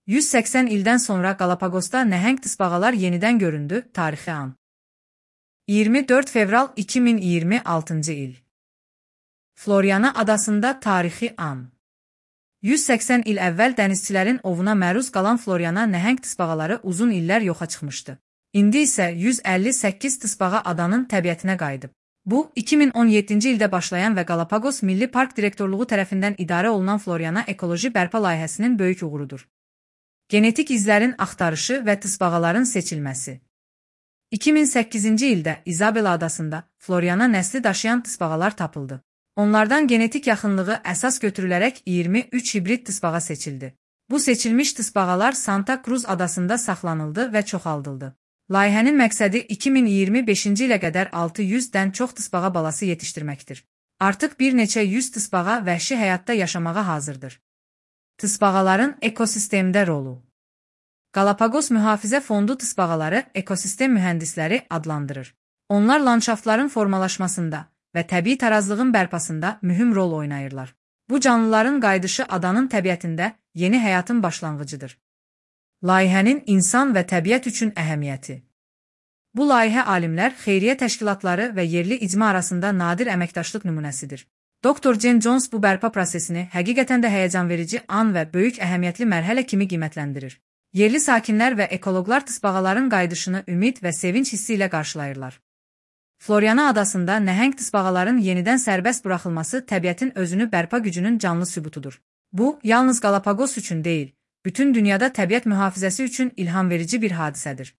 180 ildən sonra Qalapaqosda nəhəng tısbağalar yenidən göründü. Tarixi an. 24 fevral 2026 il. Floriana adasında tarixi an. 180 il əvvəl dənizçilərin ovuna məruz qalan Floriana nəhəng tısbağaları uzun illər yoxa çıxmışdı. İndi isə 158 tısbağa adanın təbiətinə qayıdıb. Bu, 2017-ci ildə başlayan və Qalapaqos Milli Park Direktorluğu tərəfindən idarə olunan Floriana ekoloji bərpa layihəsinin böyük uğurudur. Genetik izlərin axtarışı və tısbağaların seçilməsi. 2008-ci ildə İzabela adasında Floriana nəsli daşıyan tısbağalar tapıldı. Onlardan genetik yaxınlığı əsas götürülərək 23 hibrid tısbağa seçildi. Bu seçilmiş tısbağalar Santa Cruz adasında saxlanıldı və çoxaldıldı. Layihənin məqsədi 2025-ci ilə qədər 600-dən çox tısbağa balası yetişdirməkdir. Artıq bir neçə yüz tısbağa vəhşi həyatda yaşamağa hazırdır. Tısbağaların ekosistemdə rolu. Qalapaqos Mühafizə Fondu tısbağaları ekosistem mühəndisləri adlandırır. Onlar landşaftların formalaşmasında və təbii tarazlığın bərpasında mühüm rol oynayırlar. Bu canlıların qayıdışı adanın təbiətində yeni həyatın başlanğıcıdır. Layihənin insan və təbiət üçün əhəmiyyəti. Bu layihə alimlər, xeyriyyə təşkilatları və yerli icma arasında nadir əməkdaşlıq nümunəsidir. Dr. Jen Jones bu bərpa prosesini həqiqətən də həyəcanverici an və böyük əhəmiyyətli mərhələ kimi qiymətləndirir. Yerli sakinlər və ekoloqlar tısbağaların qayıdışını ümid və sevinç hissi ilə qarşılayırlar. Floriana adasında nəhəng tısbağaların yenidən sərbəst buraxılması təbiətin özünü bərpa gücünün canlı sübutudur. Bu, yalnız Qalapaqos üçün deyil, bütün dünyada təbiət mühafizəsi üçün ilham verici bir hadisədir.